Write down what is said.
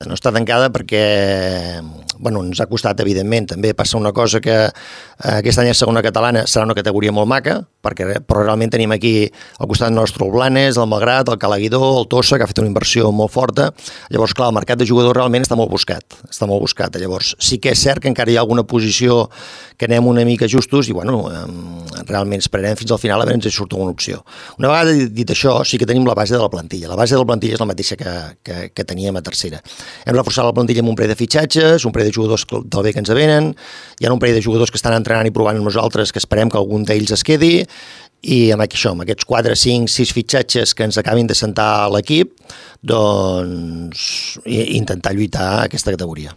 No està tancada perquè ens ha costat, evidentment. També passa una cosa que aquest any a segona catalana serà una categoria molt maca, però realment tenim aquí al costat nostre el Blanes, el Malgrat, el Calaguidó, el Tossa, que ha fet una inversió molt forta. Llavors, clar, el mercat de jugadors realment està molt buscat. Llavors, sí que és cert que encara hi ha alguna posició que anem una mica justos i, realment esperarem fins al final a veure si surt alguna opció. Una vegada dit això, sí que tenim la base de la plantilla. La base de la plantilla és la mateixa que teníem a tercera. Hem reforçat la plantilla amb un parell de fitxatges, un parell de jugadors del bé que ens venen, hi ha un parell de jugadors que estan entrenant i provant amb nosaltres que esperem que algun d'ells es quedi i amb aquests 4, 5, 6 fitxatges que ens acabin de sentar a l'equip, doncs intentar lluitar a aquesta categoria.